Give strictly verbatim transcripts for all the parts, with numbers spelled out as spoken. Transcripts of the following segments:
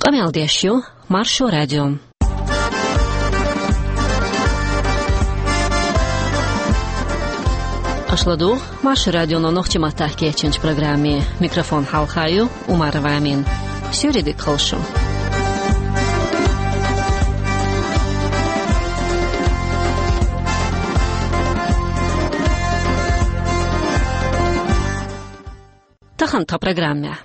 Къамел деш ю Маршо радио. Аша ладугӀу Маршо радионо нохчийн маттахь кечйинчу программе. Микрофон хьалха ю Умарова Амина. Суьйре дика хуьлда шун. Тахана тхан программехь.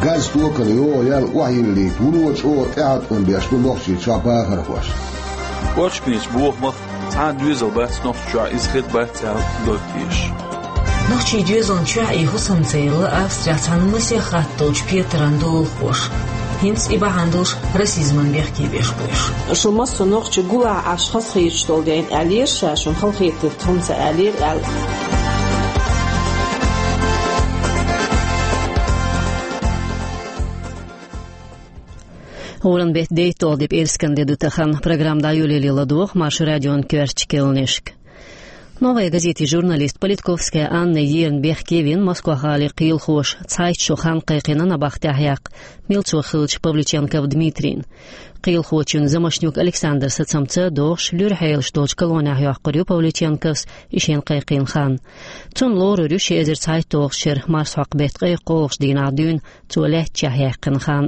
Газа токана йогӀу ял охьайиллийта вуно чӀогӀа тӀеӀаткъам беш ду Нохчийчохь бахархоша. Кочканечу бохамах цхьа а доьзал бац Нохчийчохь, иза хир бац аьлла дог тешаш. Нохчийн доьзална чохь и хӀусамца елла Австрехь цхьана масех хатта долчу петаран долахоша. ХӀинца и бахьана долуш расизман бехке беш бу уьш. Шу массо а нохча гулахь Ӏаш хазахеташ долу дела аьллера ша, шуна халахетарг тхуна ца аьллера аьлла. ГӀуран беттан дейтталгӀа де пӀераскан де ду тахана. Программа дӀайолале ладогӀа Маршо радион коьртачу кхаьънашка. «Новая газетин» журналист Политковская Анна ерна бехке вина Москва-гӀалин кхелахоша цхьайтта шо хан кхайкхина набахтехь яккха, милцо хиллачу Павлюченков Дмитрийна. Кхелахочун Замошнюк Александр сацамца догӀуш, луьра хьелаш долчу колонехь йоккхур ю Павлюченковс и шен кхайкхийна хан. Цунна лорур ю ши эзар цхьайтталгӀачу шеран марсхьокху беттан ткъе кхоалгӀачу дийнахь дуьйна цо лаьттачохь яьккхина хан.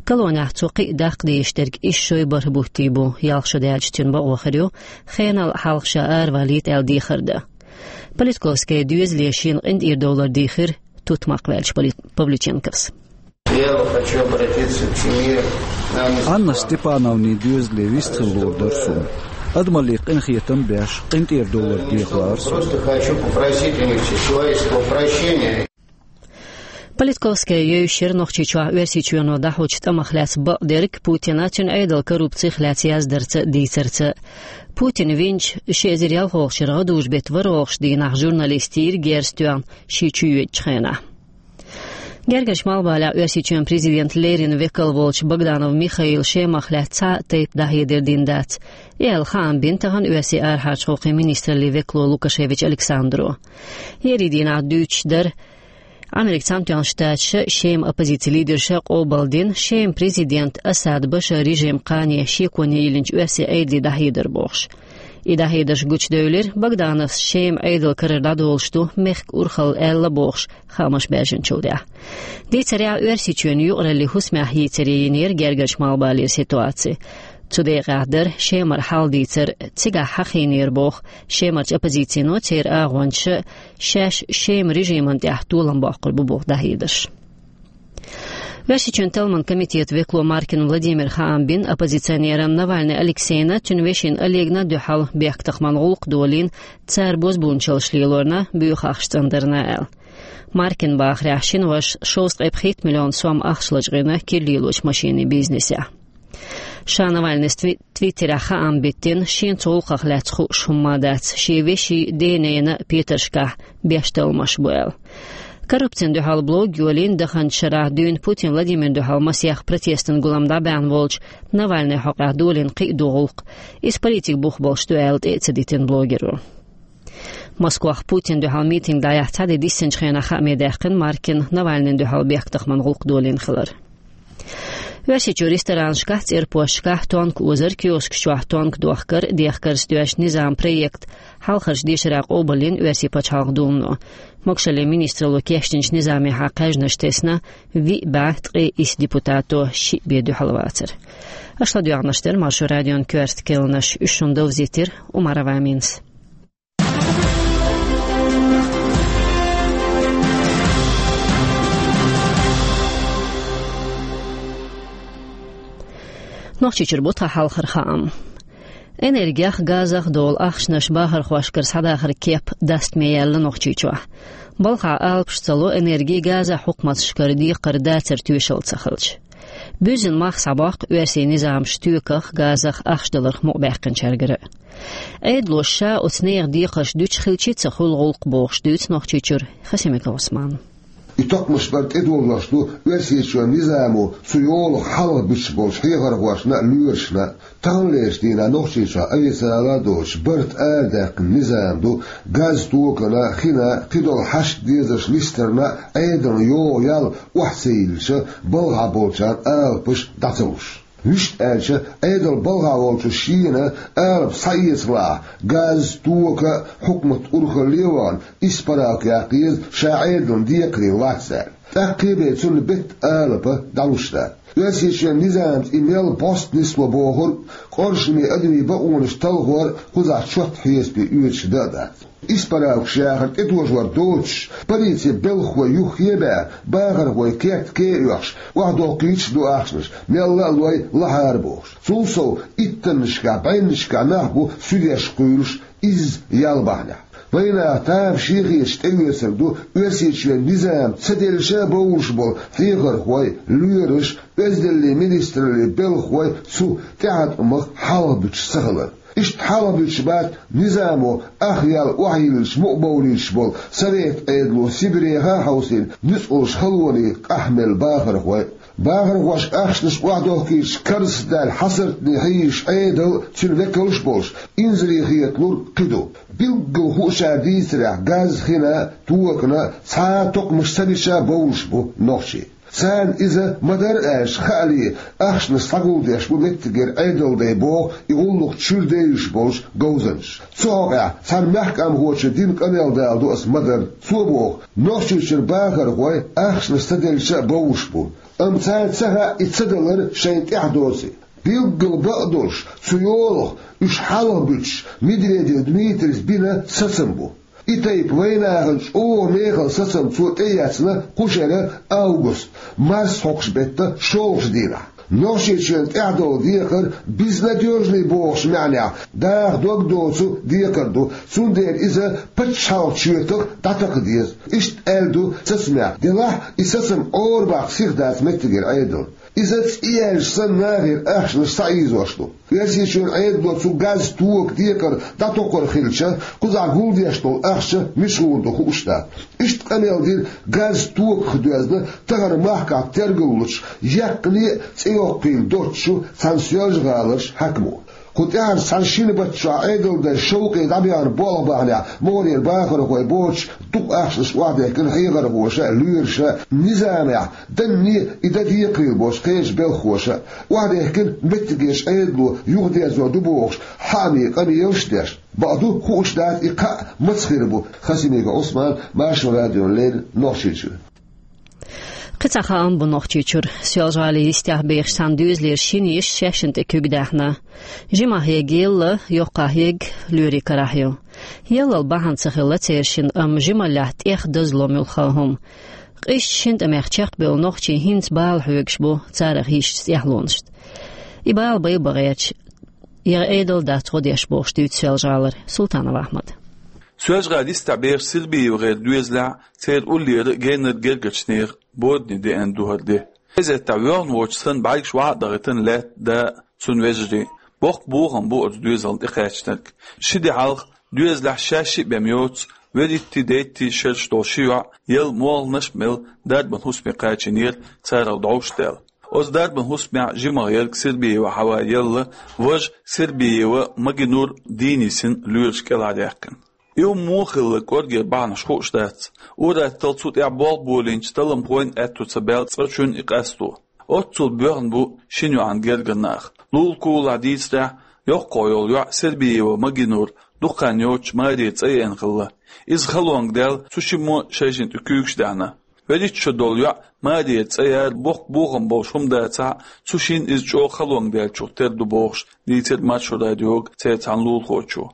Колонехь цо кхин а даккха дезаш дерг исс шой бархӀ бутт бу, ялх шо даьлча цуьнан бакъо хир ю, хенал хьалха ша аравалийта аьлла дехар дан. Политковская доьзале шена къинтӀера довлар дийхира тутмакх ваьллачу Павлю-, Павлюченковс. Я хочу обратиться к семье Анны Анна Степановны. Степановнин доьзале вистхила лур дара суна. Адамалле къинхетам беш, къинтӀера довлар деха лаьара суна. Просто хочу попросить у них всеславийского прощения. Политковская евзаш яра Нохчийчохь Оьрсийчоьно дӀахьочу тӀамах лаьцна бакъдерг, Путина, цуьнан Ӏедалан коррупцих лаьцна яздарца, дийцарца. Путин винчу ши эзар ялхолгӀачу шеран гӀадужу беттан ворхӀалгӀачу дийнахь журналистийн герз тоьхна шен чу йоьдучу хенахь. Гергарчу Малхбалехь Оьрсийчоьнан президентан леррина векал волчу Богданов Михаила Шемах лаьцна цхьа а тайпа дӀахьедар дина дац. И аьлла хаам бина тахана оьрсийн арахьарчу гӀуллакхийн министраллин векало Лукашевич Александро. Еарин дийнахь дуьйцуш дара, Америкин Цхьаьнатоьхначу Штаташа, Шеман оппозицин лидерша къобалдина Шеман президентан Асад Башаран режиман кхане шеконе йиллинчу оьрсийн Ӏедале дӀахьедар бохуш. И дӀахьедарш гучудевлира, Богдановс Шеман Ӏедалан карара дӀадолуш ду, мехкан урхалла аьлла бохуш, хаамаш баьржинчул тӀаьхьа. Дийцарехь, Оьрсийчоьнан юкъараллин хӀусамехь йийцаре йинера гергарчу Малхбалера ситуаци. Цу декъехь дара Шемара хьал дийцар, цигахь хьахийнера боху Шемарчу оппозицино, церан агӀончаша шаьш Шеман режимана тӀехь толам боккхур бу боху дӀахьедарш. Оьрсийчоьнан талламан комитетан векало Маркин Владимира хаам бина оппозиционерна Навальный Алексейна, цуьнан вешина Олегна дуьхьал бехктакхаман гӀуллакх долийна, цара бозбуунчаллаш лелорна, буьйху ахча цӀандарна аьлла. Маркина бахарехь, шина вашас шовзткъе пхийтта миллион сом ахча лачкъийна кира лелочу машинийн бизнесехь. Ша Навальныйс тви-, Твиттерехь хаам биттина, шена цу гӀуллакхах лаьцна хууш хӀумма дац, шен вешин, денна петаршкахь беш талламаш бу аьлла. Коррупцина дуьхьал блог йолийна, даханчу шарахь дуьйна Путин Владимирна дуьхьал масех протестан гулам дӀабаьхьна волчу Навальныйн хьокъехь долийна кхин а ду гӀуллакх. Иза политикан бух болуш ду аьлла, тӀе а ца дитина блогеро. Москвахь Путинна дуьхьал митинг дӀаяхьа цхьа де диссинчу хенахь хааме даьккхина Маркина Навальныйна дуьхьал бехктакхаман гӀуллакх долийна хилар. Оьрсийчоь ресторанашкахь, цӀерпошкахь тонка озар, киоскаш чохь тонка дохкар, дехкар стоьчу низаман проект хьалхарчу дешарехь къобалйина Оьрсийн Пачхьалкхан Думано. Могушаллин министралло кечдинчу низамехьа кхаьжнаш тесна виъ бӀе ткъе исс депутато, шиъ бен дуьхьал вацара. Аша ладоьгӀнарш дара Маршо радион коьрта кхаьънаш, уьш шуна довзийтира Умарова Аминас. Нохчийчуьра бу тхан хьалхара хаам. Энергех, газах долу ахчанаш бахархошкара схьадахаран кеп дастаме яьлла Нохчийчохь. Балхахь алапаш ца ло энерги а, газа а хьукматашкара декхар дацар тоьшалла ца хилча. Буьззина мах схьабоккху оьрсийн низамаша стоьках, газах ахча даларх мукъабаьккхинчаьргара. Ӏедалоша ша оцу нехан декхарш дуьтуш хилча а ца хуьлу гӀуллакх бохуш дуьйцу Нохчийчуьра Хасимиков Ӏусмана. И токхамаш бара тӀедожош ду Оьрсийчоьнан низамо цу йолах хьалха буьтуш болчу хьехархошна а, лоьрашна а. Таханлерчу дийнахь Нохчийчохь официалан а доцуш барт арадаьккхина низам ду, газ, токана, хина, кхидолу хьашт-дезарш листарна а, Ӏедална йогӀу ял охьа ца йиллича, балхахь болчарна алапаш дӀа ца луш. Вуьшта аьлча, Ӏедал балхахь волчу шена алапа схьаэцалахь, газ, тока а хьукмат урхалле а вахана, исправка яккха еза ша Ӏедална декхарийлахь лаьцна аьлла. ТӀаккха кхин бен цунна беттан алапа дӀалуш дац. Оьрсийчоьнан низамца и мел бӀоста нисло бохург, къоршаме адамийн бакъонаш талхор а кхузахь чотта хьесапе оьцуш дан а дац. Исправкаш яхар тӀетожор доцуш, полицин белхахой юххе а баьхна, бахархойн керт ке а оьхуш, охьадоккхуьйтуш а ду ахчанаш, мелла а лой лахьара бохуш. Цул сов, иттаннашкахь, бӀеннашкахь нах бу суьдеш кхуьйлуш, изза ял бахьанехь. Вайнаха тамашийна хеташ тӀеоьцург ду Оьрсийчоьнан низам ца делча а бовлуш болу хьехархой, лоьраш, Оьздангаллин министраллин белхахой цу тӀеӀаткъамах хьалха буьтуш ца хилар. Иштта хьалха буьтуш бац низамо ах ял охьайиллича мукъабовлуьйтуш болу Совет Ӏедало Сибреха а хьовсийна ницкъаллаш халонийн къахьмелла бахархой а. Бахархошка ахчанаш охьадохкуьйтуш карзахдаьлла хьасартане хьийзаш Ӏедал а, цуьнан векалш а болуш, инзаре хеталур кхин ду. Билггал хуучара дийцарехь, газ, хина, токана цхьа а токхамаш ца бича а бовлуш бу нохчий. Царна иза ма-дарра аьлча, хаале, ахчанаш схьагулдеш бу меттигера Ӏедалдайн боху и гӀуллакх чуьра девзаш болчу говзанчаша. Цу хьокъехь цхьана мехкамхочо дина къамел даладо аса ма-дарра. Цо боху, Нохчийчуьра бахархой ахчанаш ца делча а бовлуш бу. Амма царна ца хаьа и ца далар шайна тӀехь доций. Билггал бакъдолуш, цу йолах уьш хьалха буьтуш, Медведев Дмитрийс бина сацам бу. И тайпа вайнахана чӀогӀа мехала сацам цо тӀеэцна кху шеран август, марс хьокхучу беттан шолгӀачу дийнахь. Нохчийчоьнна тӀехь долу декхар безнадёжный бохучу маьӀнехь, даха дог доцу декхар ду, цундела иза пачхьалкхан чоьтах дӀатакха деза. Иштта аьлла ду сацамехь, делахь и сацам Ӏорабаккха сиха дац меттигера Ӏедална. Иза цӀе яьлча санна нахера ахчанаш схьаийзош ду. Оьрсийчоьнан Ӏедало цу газ, тока декхар дӀатокхур хилча, кхузахь гулдеш долу ахча мичахула ду хууш дац. Иштта къамел дина газ, токах доьзна тахана махкахь тергаллучу, яьккхине а цӀе йоккхийла доцучу цхьана Соьлжа-ГӀаларчу хьаькамо. Кху тӀаьхьарчу цхьана шина баттахь Ӏедалдайн шовкъе дӀабаьхна болх бахьанехь, могӀарера бахархой боцуш, дукха ахчанаш охьадехкина хьехархоша а, лоьраша а, низамехь данне а, и дан декхарийлахь болчу кхечу белхахоша а. Охьадехкина меттигерчу Ӏедало юхадерзор ду бохуш, хьаамийн къамелаш а деш. Бакъду, хууш дац и кхаъ маца хир бу. Хасимиков Ӏусман, Маршо радиона леррина, Нохчийчуьра. Кхин цхьа хаам бу Нохчийчуьра. Соьлжа-ГӀалин йистехь бехаш цхьана доьзалера шина йиша шаьшшинна тӀе куьг даьхна. Жимахь ерг елла, йоккхахь ерг лоьрийн карахь ю. Еллал бахьана ца хилла церан шинна, амма жималлехь тӀех дазло муьлхха а хӀума. Къизачу шина тӀамех чекхбевлла нохчий хӀинца бала хьоьгуш бу царах йисчу тӀаьхьалонашна. И бала байбан гӀерташ, я Ӏедал дац гӀо деш бохуш дуьйцу Соьлжа-ГӀалара Султанов Ахьмада. Соьлжа-ГӀалин йистехь бехаш СербиевгӀеран доьзалехь церан уллера а геннара гергарчу нехан боданийн деана ду хӀара де. Кезеттахь воьхна воцуш санна бӀаьргаш охьа а дахийтина лаьтта да а, цуьнан вежарий а. Боккха бохам бу оцу доьзална тӀекхаьчнарг. Ши де хьалха доьзалехь шаьш шиъ бен йоцу, вуьрхӀиттий, дейттий шераш долу ши йоӀ, елла молханаш а мелла, дарбан хӀусаме кхачийнера царал дӀовш а даьлла. Оцу дарбан хӀусамехь жимах ерг Сербиева Хьава елла, важа Сербиева Магинур дийна йисина, лоьраша кӀелхьардаьккхина. И хӀума муха хилла кӀоргера бахьанаш хууш дац. Ур-атталла цу тӀехь болх болийначу талламхойн аьтто ца баьлла цкъачунна и къасто. Оццул боьхна бу шина йоьӀан гергара нах. Лулахь-кулахь дийцарехь, йоккхах йолу йоӀ Сербиева Магинур дукха хан йоццуш Мария цӀа еана хилла. Иза халонга даьлла, цу шиммо шайшинна тӀе куьйгаш даьхна. ВуьрхӀитта шо долу йоӀ Мария цӀа яра боккха бохам болуш хӀума дацахь а, цу шинна иза чӀогӀа халонга даьллачух тера ду бохуш, дийцира Маршо радиога церан цхьана лулахочо.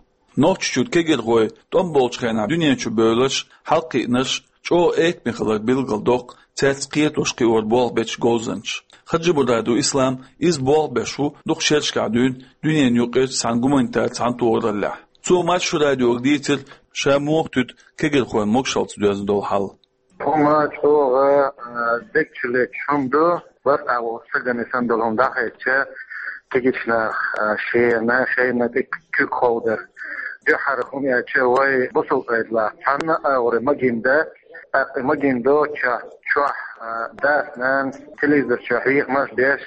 Нохчийчуьра кегирхой тӀом болчу хенахь дуьнен чу бевлларш, хьалакхиънарш чӀогӀа экаме хилар билгалдоккху цаьрца кхетош-кхиор болх бечу говзанчаша. Хаджимурадов Ислам иза болх беш ву дукха шерашкахь дуьйна дуьненан юкъерчу цхьана гуманитар цхьаьнатохараллехь. Цо Маршо радиога дийцира, ша муха туьду кегирхойн могушаллица доьзна долу хьал. ХӀума чӀогӀа, а, дегчу летташ хӀума ду, барт агӀор сагане санна долу хӀума дӀахаьчча, кегийчу наха, а, шена, шайна тӀе куьг ховдар. Дуьххьара хӀума аьлча, вай бусалба Ӏедалехь цхьанна а агӀор магийна дан, ТӀаккха и магийна доцчохь, чохь, а, дас-нанас телевизор чохь хьехамаш деш,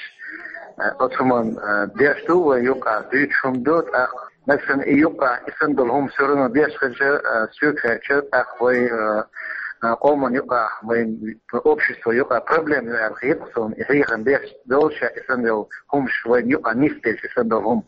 а, оцу хӀуманна, а, деш ду вай юкъахь, дуьйцуш хӀума ду, тӀаккха нагахь санна и юкъахь, и санна долу хӀума всё равно деш хилча, а, соьга хаьттича, тӀаккха вай, а, а, къоман юкъахь, вайн общество юкъахь проблема ю аьлла хета суна, и хьехам деш долуш, и санна долу хӀумаш вайн юкъахь нисделча, и санна долу хӀума.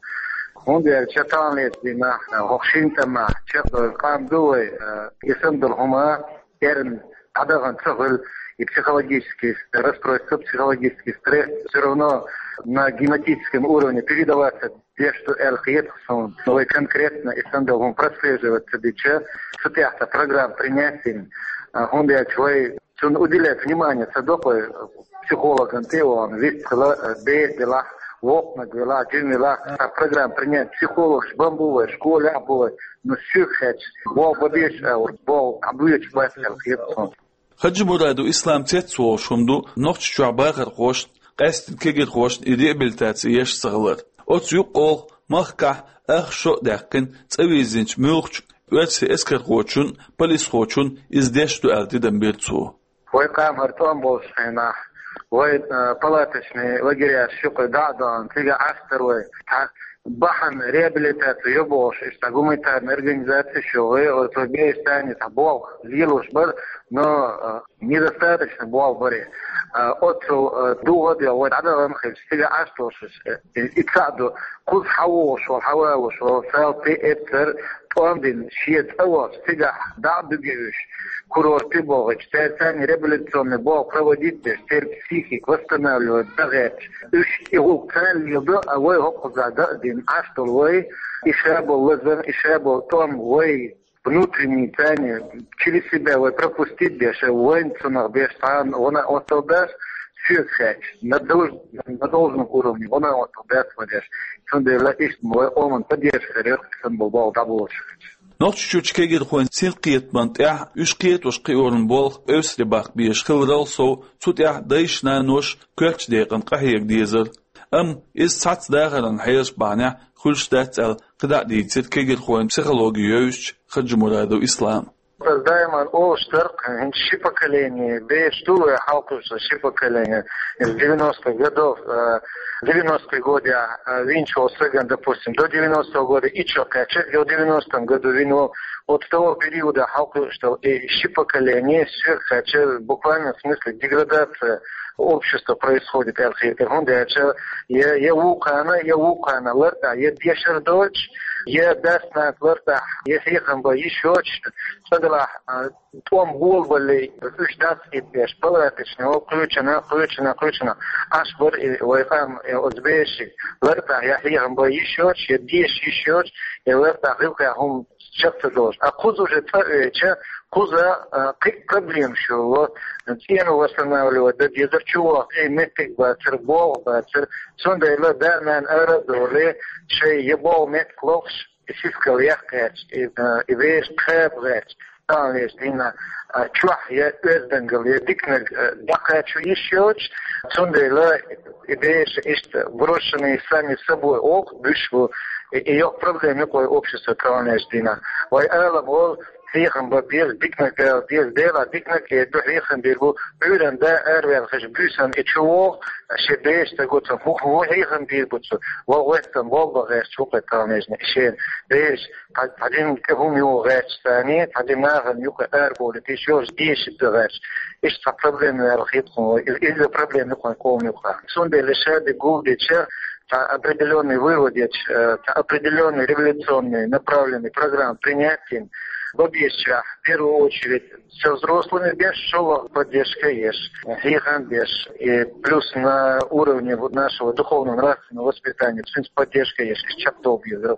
ХӀунда аьлча таханлерчу дийнахь, а, хӀокху шина тӀамехь чекхдолу къам ду вай, а, и санна долу хӀума, эрна дӀадахана ца хуьлу, и психологический расстройство, психологический стресс всё равно на генетическом уровне передаваться деш ду аьлла хета суна. Но вай конкретно и санна долу хӀума прослеживать ца дича, цу тӀехь цхьа программа принять дина, а, хӀунда аьлча вай цунна уделять внимание ца до, вай психологан тӀе а вахана, вист хила, а, бер делахь, воккханиг велахь, жима велахь, цхьа программа принять, психологаш бан бу вай, школехь бу вай, но соьга хаьттича, болх бан безаш а, болх дӀабоьдуш бац аьлла хета суна. Хаджимурадов Ислам цецволуш хӀума ду Нохчийчохь бахархошна, къаьсттина кегирхошна и реабилитаци еш ца хилар. Оцу юккъехула махкахь ах шо а даьккхина, цӀа вирзинчу муьлххачу оьрсийн эскархочун, полисхочун иза деш ду аьлла тидам бира цо. Вай къам хӀара тӀом болчу хенахь, вай, а, палаточный лагеряш юкъа дӀа а дахана, цига Ӏаш дара вай. Цхьа бахьана реабилитаци йо бохуш, иштта гуманитарная организация ю вай, оцу бешан цхьа болх лелош бара, но, а, недостаточно болх бара. А, оццул, а, дугӀа а деш, вай дӀадахана хилча, цига Ӏаш долуш, э, и цхьаъ ду, кхуза хьан вогӀуш волу, хьан валуш волу, сал пи эццара тӀом дина, шен цӀа вахча, цигахь дӀа а дуьгуш, курорте а бохуьйтуш, цаьрца реабилитационный болх проводить деш, церан психика восстанавливать дан гӀерташ. Уьш и гӀуллакх царна леладо, а вай хӀокхузахь дан а дина, Ӏаш долу вай, и ша болу лазар, и ша болу тӀом вай внутренний царна через себя вай пропустить деш, вайна цунах беш цхьа а гӀо а отталдеш, соьга хаьттича, на долж-, на должном уровне гӀо а отталдеш вай деш. Цундела иштта вай къоман поддержка хир яра, сан болу болу дӀаболуш. Нохчийчуьрчу кегирхойн синкхетаман тӀехь уьш кхетош кхиоран болх эвсаре баккха безаш хиларал сов, цу тӀехь дайша-наноша коьртачу декъана къахьега дезара. Амма иза цхьацца дахаран хьелаш бахьанехь хуьлуш дац аьлла, кхидӀа а дийцира кегирхойн психологи йовзачу Хаджимурадов Ислама. Ас даиман олуш дара, хӀинца ши поколение, бераш ду вай хьалкхуьуш ши поколение, из девяностых годов, э, девяностые годы, э, винчу волу стагана, допустим, до девяностого года и чё, кхаьча, и в девяностом году вин волу, вот с того периода хьалкхуьуш долу, и ши поколение, всё, кхаьча, буквально в смысле деградация общества происходит, аьлла хета. ХӀунда аьлча я, я вукхана, я вукхана лартӀахь, я дешар доцуш, я дас-нанас лартӀахь, я хьехам бан йиш йоцуш, цкъа делахь, а, тӀом болабаллий, уьш дӀасаийцадеш, палаточный, о, кхечанхьа, кхечанхьа, кхечанхьа. Ӏаш бара и вай къам, и оцу берашка лартӀахь, я хьехам бан йиш йоцуш, я деша йиш йоцуш, я лартӀахь гӀиллакхехь хӀума чекх ца долуш. А кхуза уже цӀа оьцуш, кхуза, а, кхин а проблемаш йолу, цӀена восстанавливать дан дезара, чу вахча, и меттиг бацара, болх бацара. Цундела да-нана ара а довлий, шайн я болу меттиг лохуш, и сискал яккха гӀерташ, и, а, и бераш кхаба гӀерташ, таханлерчу дийнахь, а, чохь я оьздангалла, я диканиг, а, дӀакхачо йиш йоцуш, цундела и бераш иштта брошенные сами собой оха буьсуш бу, и, и йоккха проблема ю-кх вай общество таханлерчу дийнахь. Вай Ӏалам волу, хьехам бан беза, диканиг дала деза, Делахь диканиг а ду, хьехам бийр бу, Ӏуьйранна да араваьлла хезча, буьйсанна и чу вогӀу, шен бераш ца го цо, хӀун, хӀун хьехам бийр бу цо, вогӀу веттан болх бан гӀерташ ву-кх таханлерчу дийнахь, и шен бераш, цхьа, цхьа дин тӀе хӀума юха гӀерташ царний, цхьа дин нахана юкъа арабовлийта йиш йолуш, деша дан гӀерташ. Иштта цхьа проблема ю аьлла хета хьуна вай, иза, иза проблема ю-кх вайн къоман юкъахь. Цундела ша дерг гулдича, цхьа определённый вывод еча, э, цхьа определённый революционный направленный программа принять йина, бан безачех, в первую очередь, со взрослыми беш, шолгӀа поддержка еш, хьехам беш, и плюс на уровне вот нашего духовно-нравственного воспитания, в принципе, поддержка еш, чекхдолу беза.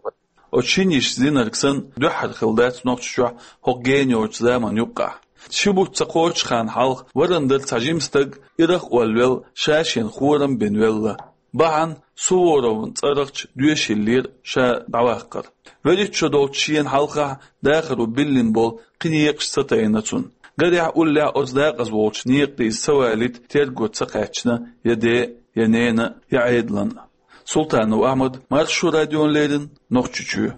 Оцу шина йишин зинарг санна дуьххьара хилла дац Нохчийчохь хӀокху гена йоцучу заманан юккъехь. Ши бутт ца кхочучу ханна хьалха варан дара цхьа жима стаг, ирах а волвелла, ша-шена хорам а бина велла. Бахьана Суворовн цӀарахчу доьшийлера ша дӀаваккхар. ВуьрхӀитта шо долчу шена хьалхахь дахаро биллина болу кхин некъаш ца тайна цунна. Гарехь, уллехь оцу дакъаза волчу некъа дийца ца валийта терго ца кхаьчна я ден, я ненан, я Ӏедалан. Султанов Ахьмад, Маршо радиона леррина, Нохчийчоь.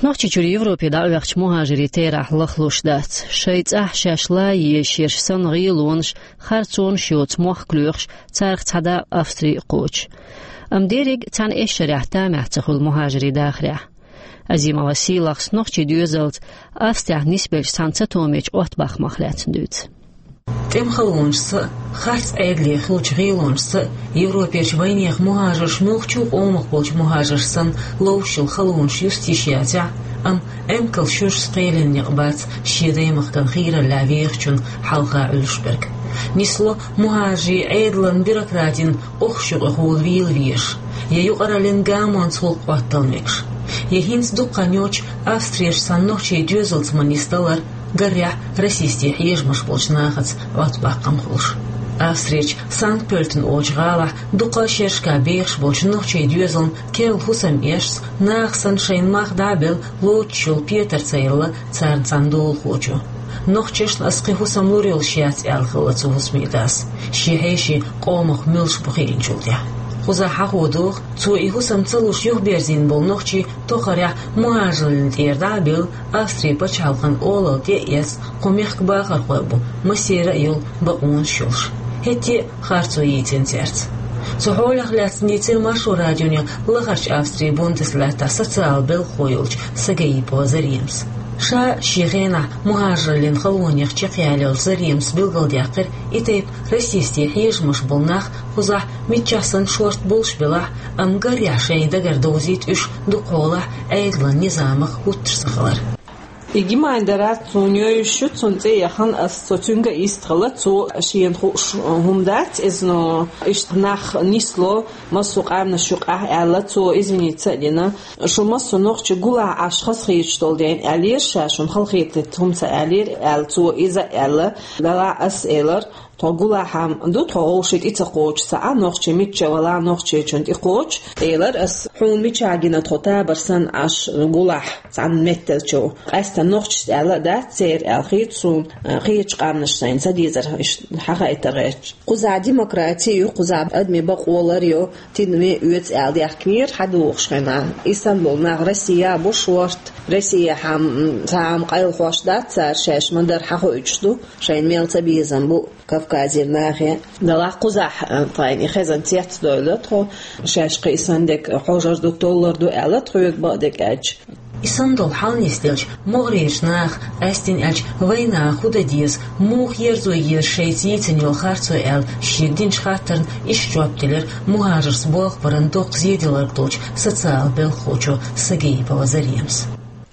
Нохчийчуьра Европе дӀаваьхача мухӀажарийн терахь лахлуш дац. Шайн цӀахь шаьш лан езаш ерш санна гӀелонаш, харцонаш йоцу мохк лоьхуш, царах цхьа дакъа Австри а кхочу. Амма дерриг а цхьана эшшарехь тамехь ца хуьлу мухӀажарийн дахарехь. Азимова Сийлахьс нохчийн доьзалца Австрехь нисбеллачу цхьана цатоьхначу оттабахамах лаьцна дуьйцу. ТӀеман халонашца а, харц Ӏедале хиллачу гӀелонашца а Европерчу вайнехан мухӀажарш муьлххачу къомах болчу мухӀажарш санна ловш йолу халонаш юста йиш яцахь а, амма эмкал шуьршца кхелина некъ бац шен даймахкана хийраллехь вехачунна хьалха Ӏуьллуш берг. Нисло мухӀажарийн Ӏедалан бюрократин охьаш юкъахула вийла везаш, я юкъараллин гамонца гӀуллакх хӀоттала мегаш, я хӀинца дукха хан йоцуш Австрерчу цхьана нохчийн доьзалца ма нисдалар, гарехь, расистийн хьежамаш болчу нахаца оттабаккхам хуьлуш. Австрерчу Санкт-Пёльтен олучу гӀалахь дукха шерашкахь бехаш болчу нохчийн доьзална керла хӀусам эшца, наха санна шайна мах дӀа а белла, лоцуш йолу Петар ца елла царна цхьана долахочо. Нохчашна ас кхин хӀусам лур йолуш яц аьлла хилла цу хӀусамийн дас, шен хьеший къомах муьлш бу хиъначул тӀаьхьа. Кхузахь хьахо доху, цо и хӀусам ца луш юхаберзийна болу нохчий тохарехь мухӀажарлин тӀера дӀа а белла, Австрин пачхьалкхан олалла тӀе а эцна, кху мехкан бахархой бу, массеран а йолу бакъонаш йолуш. ХӀетте а харцо йийцина цаьрца. Цу хьолах лаьцна дийцира Маршо радионе лахарчу Австрин Бундеслаьттахь социал белхахо йолчу Сагаипова Заремас. Ша шен хенахь мухӀажарлин халонех чекхъяллалц Заремас билгалдаьккхира и тайпа расистийн хьежамаш болу нах кхузахь миччахь санна шорта болуш белахь а, амма гарехь шайн дагара довзийта уьш дукхахьолахь Ӏедалан низамах хӀуттуш ца хилар. И Гимайнда Рат цунна йойуш ю, цунна цӀе яхана ас, цо цуьнга а йистхила, цо шена хууш хӀума дац иза, но иштта нах нисло массо а къаьмнаш юкъахь аьлла, цо извиниться а дина. Шу массо а нохчий гулахь Ӏаш хазахеташ долу дела аьллера ша, шуна халахетийта хӀума ца аьллера аьлла, цо иза а аьлла. Делахь ас элира, тхо гулахь ду, тхо вовшийн тӀе ца кхочуш цхьа а, нохчий мичча валахь, нохчийчунна тӀе кхочуш, элира ас, хьуна мичахь гина тхо табар санна Ӏаш гулахь цхьана метталчу. Къаьсттина нохчашца аьлла а дац церан аьлла хета суна, кхечу къаьмнаш сайна ца дезара, иштта хьахайтар гӀерташ. Кхузахь демократи ю, кхузахь адамийн бакъо лар ю, тидаме оьцу аьлла даьхкинера хьадогӀуш хенахь. И санна болу нах Россия бу шорта, Россияхь-м цхьа а къайлахош дац цара, шаьш ма-дарра хьахоуьйтуш ду, шайна мел цабезам бу Кавказера нахе. Делахь кхузахь, а, тхайна и хезна цецдойла тхо, шаьш кхин и санна дерг хьожар ду, толлар ду аьлла тхоьга бакъдерг аьлча. И санна долу хьал нисделча, могӀарерчу наха, къаьсттина аьлча, вайнаха хӀун дан деза, муха ерзо еза шайца йийцина йолу харцо аьлла, шега динчу хаттарна иштта жоп делира мухӀажаршца болх баран доккха зеделларг долчу социал белхахочо Сагаипова Заремас.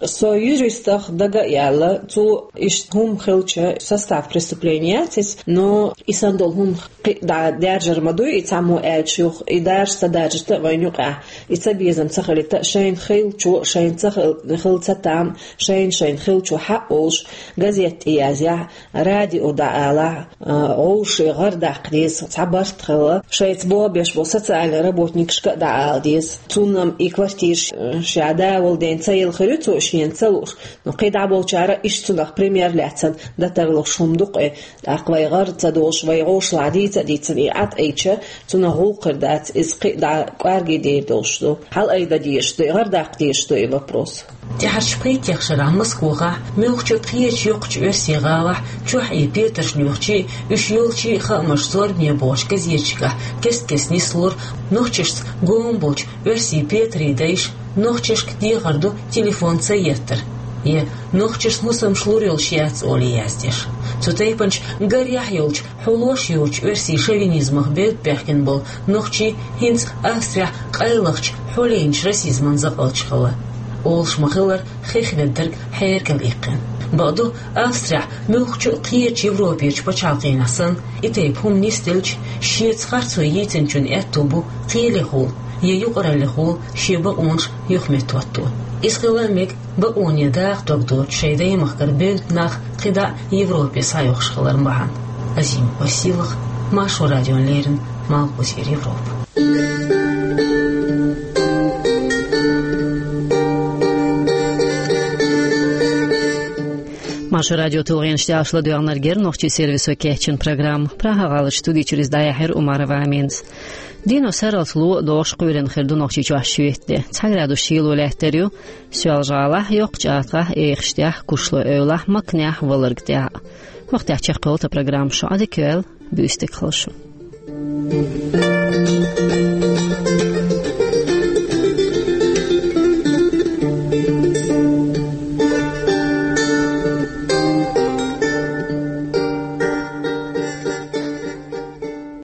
Со юристах дага а яьлла, цо иштта хӀума хилча, состав преступления яц иза, но и санна долу хӀума кхин а дӀа даьржар ма дуй, и цхьаммо аьлча юха, и даржа ца даржийта а вайна юкъахь, и цабезам ца хилийта а, шайна хиллачо, шайна ца хил-, хилла ца там, шайна-шайна хиллачо хьаъ волуш, газетта тӀе язъяхь, радио дӀаалахь, а, вовшийн гӀар даккха деза, цхьа барт хилла, шайца болх беш болу социальный работникашка а дӀаала деза. Цунна-м и квартираш, а, ша да волу ден ца елла хир ю цо шена ца лууш, но кхидӀа болчара иштта цунах пример лаьцна дан тарлуш хӀума ду-кх и, тӀаккха вай гӀар ца долуш, вай гӀовшалахь дийца а дийцина и ӀатӀайча, цунах гӀуллакх хир дац, иза кхин а дӀа кӀорге дер долуш ду. Хьала-айдан дезаш ду и, гӀар даккха дезаш ду и вопрос. ТӀаьхьарчу пхийттех шарахь Москвахь, муьлххачу кхечу йоккхачу оьрсийн гӀалахь чохь и петарш лоьхучий, уьш йолчий хаамаш зорбане бохучу газеташкахь кест-кеста нислора нохчашца гома болчу оьрсийн петарийн дайша, нохчашка дехар ду телефон ца еттар, я нохчашна хӀусамаш лур йолуш яц олий яздеш. Цу тайпанчу гарехь йолчу хьулош йоцучу оьрсийн шовинизмах бевдда баьхкина болу нохчий хӀинца Австрехь къайлахчу хьулайначу расизман закъалчу хилла. Олуш ма-хиллара, хих веддарг хьеркал иккхина. Бакъду, Австрехь муьлххачу а кхечу Европерчу пачхьалкхенахь санна, и тайпа хӀума нисделча, шеца харцо йийцинчун аьтто бу кхелехула я юкъараллехула шен бакъонаш юхаметтахӀотто. Иза хила а мега, бакъоне даха дог доцуш шайн даймахкара бевдда нах кхидӀа Европе схьайохуш хиларан бахьана. Азимова Сийлахь, Маршо радиона леррина, Малхбузера Европа. Шу радио тулгӀенаш тӀехь ладоьгӀнарг яра нохчийн сервисо кечйина программа. Прага-гӀаларчу студи чуьра иза дӀаяьхьира Умарова Аминас. Дийнахь сарралц ло а догӀуш кхоьлина хир ду Нохчийчохь шоьтан де. Цхьа градус шело лаьттар ю Соьлжа-ГӀалахь, Йоккхачу АтагӀахь, Эхаштехь, Кушлой-Эвлахь, Макнехь, Валаргтехь. ХӀокху тӀехь чекхйолу тхан программа шу. Ӏадика йойла, буьйса дика хуьлда шун.